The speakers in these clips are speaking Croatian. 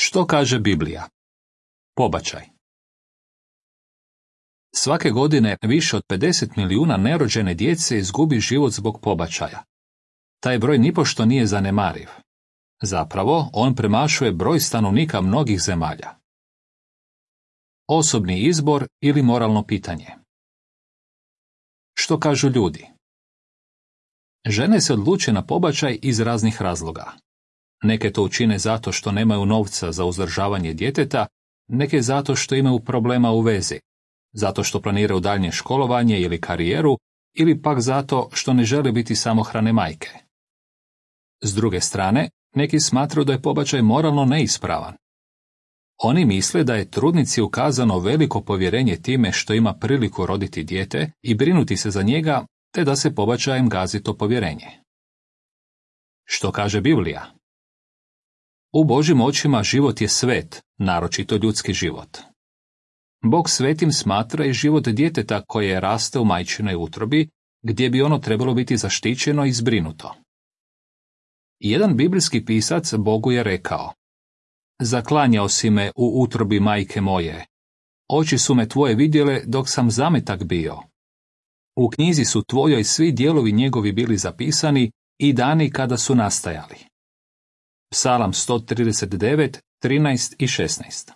Što kaže Biblija? Pobačaj. Svake godine više od 50 milijuna nerođene djece izgubi život zbog pobačaja. Taj broj nipošto nije zanemariv. Zapravo, on premašuje broj stanovnika mnogih zemalja. Osobni izbor ili moralno pitanje. Što kažu ljudi? Žene se odluče na pobačaj iz raznih razloga. Neke to učine zato što nemaju novca za uzdržavanje djeteta, neke zato što imaju problema u vezi, zato što planiraju daljnje školovanje ili karijeru, ili pak zato što ne žele biti samohrane majke. S druge strane, neki smatraju da je pobačaj moralno neispravan. Oni misle da je trudnici ukazano veliko povjerenje time što ima priliku roditi dijete i brinuti se za njega, te da se pobačajem gazi to povjerenje. Što kaže Biblija? U Božjim očima život je svet, naročito ljudski život. Bog svetim smatra i život djeteta koje raste u majčinoj utrobi, gdje bi ono trebalo biti zaštićeno i zbrinuto. Jedan biblijski pisac Bogu je rekao: Zaklanjao si me u utrobi majke moje. Oči su me tvoje vidjele dok sam zametak bio. U knjizi su tvojoj svi dijelovi njegovi bili zapisani i dani kada su nastajali. Psalam 139, 13 i 16.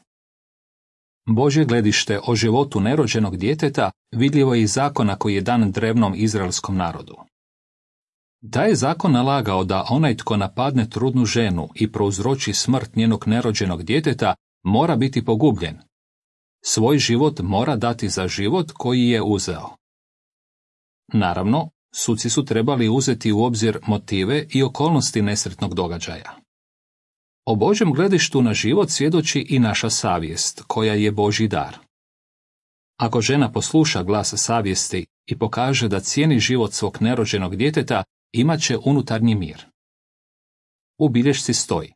Božje gledište o životu nerođenog djeteta vidljivo je iz zakona koji je dan drevnom izraelskom narodu. Taj je zakon nalagao da onaj tko napadne trudnu ženu i prouzroči smrt njenog nerođenog djeteta mora biti pogubljen. Svoj život mora dati za život koji je uzeo. Naravno, suci su trebali uzeti u obzir motive i okolnosti nesretnog događaja. O Božjem gledištu na život svjedoči i naša savjest, koja je Božji dar. Ako žena posluša glas savjesti i pokaže da cijeni život svog nerođenog djeteta, imat će unutarnji mir. U bilješci stoji: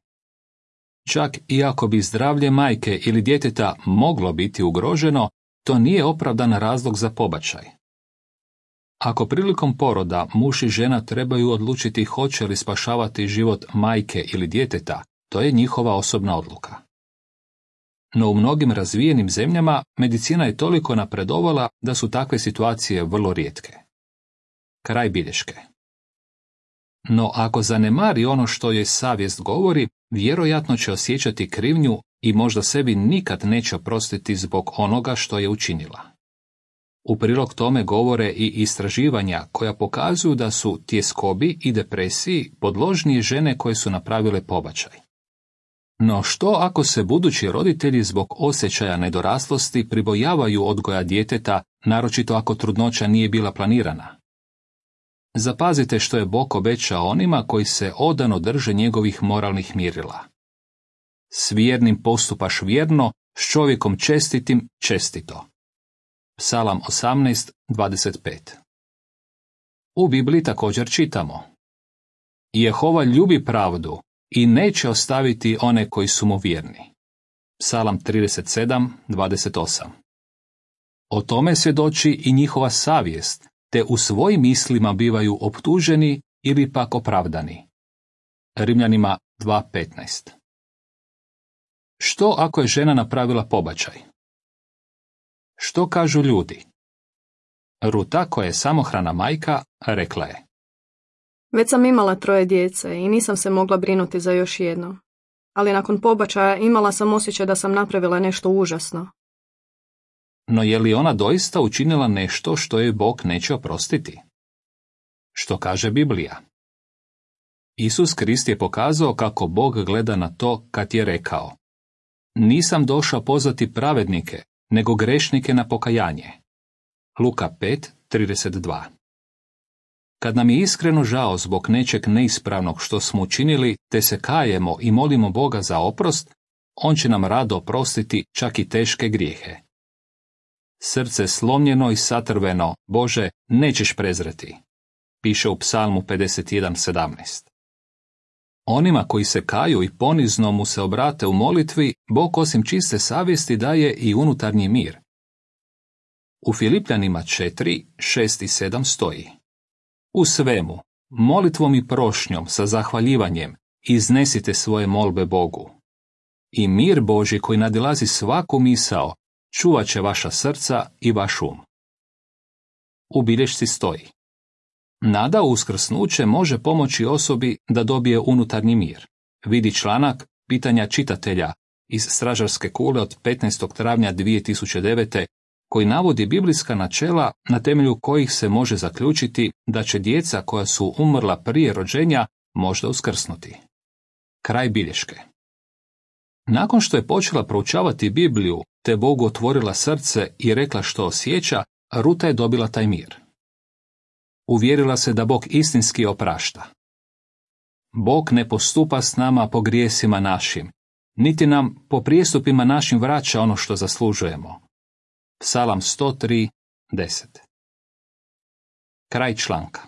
Čak i ako bi zdravlje majke ili djeteta moglo biti ugroženo, to nije opravdan razlog za pobačaj. Ako prilikom poroda muž i žena trebaju odlučiti hoće li spašavati život majke ili djeteta, to je njihova osobna odluka. No u mnogim razvijenim zemljama medicina je toliko napredovala da su takve situacije vrlo rijetke. Kraj bilješke. No ako zanemari ono što joj savjest govori, vjerojatno će osjećati krivnju i možda sebi nikad neće oprostiti zbog onoga što je učinila. U prilog tome govore i istraživanja koja pokazuju da su tjeskobi i depresiji podložnije žene koje su napravile pobačaj. No što ako se budući roditelji zbog osjećaja nedoraslosti pribojavaju odgoja djeteta, naročito ako trudnoća nije bila planirana? Zapazite što je Bog obećao onima koji se odano drže njegovih moralnih mjerila. S vjernim postupaš vjerno, s čovjekom čestitim čestito. Psalam 18, 25. U Bibliji također čitamo: Jehova ljubi pravdu i neće ostaviti one koji su mu vjerni. Psalam 37, 28. O tome svjedoči i njihova savjest, te u svojim mislima bivaju optuženi ili pak opravdani. Rimljanima 2.15. Što ako je žena napravila pobačaj? Što kažu ljudi? Ruta, koja je samohrana majka, rekla je: Već sam imala 3 djece i nisam se mogla brinuti za još jedno. Ali nakon pobačaja imala sam osjećaj da sam napravila nešto užasno. No je li ona doista učinila nešto što joj Bog neće oprostiti? Što kaže Biblija? Isus Krist je pokazao kako Bog gleda na to kad je rekao: Nisam došao pozvati pravednike, nego grešnike na pokajanje. Luka 5:32. Kad nam je iskreno žao zbog nečeg neispravnog što smo učinili, te se kajemo i molimo Boga za oprost, on će nam rado oprostiti čak i teške grijehe. Srce slomljeno i satrveno, Bože, nećeš prezreti, piše u Psalmu 51:17. Onima koji se kaju i ponizno mu se obrate u molitvi, Bog osim čiste savjesti daje i unutarnji mir. U Filipljanima 4, 6 i 7 stoji: U svemu, molitvom i prošnjom sa zahvaljivanjem, iznesite svoje molbe Bogu. I mir Božji koji nadilazi svaku misao, čuvat će vaša srca i vaš um. U bilješci stoji: nada u uskrsnuće može pomoći osobi da dobije unutarnji mir. Vidi članak Pitanja čitatelja iz Stražarske kule od 15. travnja 2009. koji navodi biblijska načela na temelju kojih se može zaključiti da će djeca koja su umrla prije rođenja možda uskrsnuti. Kraj bilješke. Nakon što je počela proučavati Bibliju te Bogu otvorila srce i rekla što osjeća, Ruta je dobila taj mir. Uvjerila se da Bog istinski oprašta. Bog ne postupa s nama po grijesima našim, niti nam po prijestupima našim vraća ono što zaslužujemo. Psalam 103:10. Kraj članka.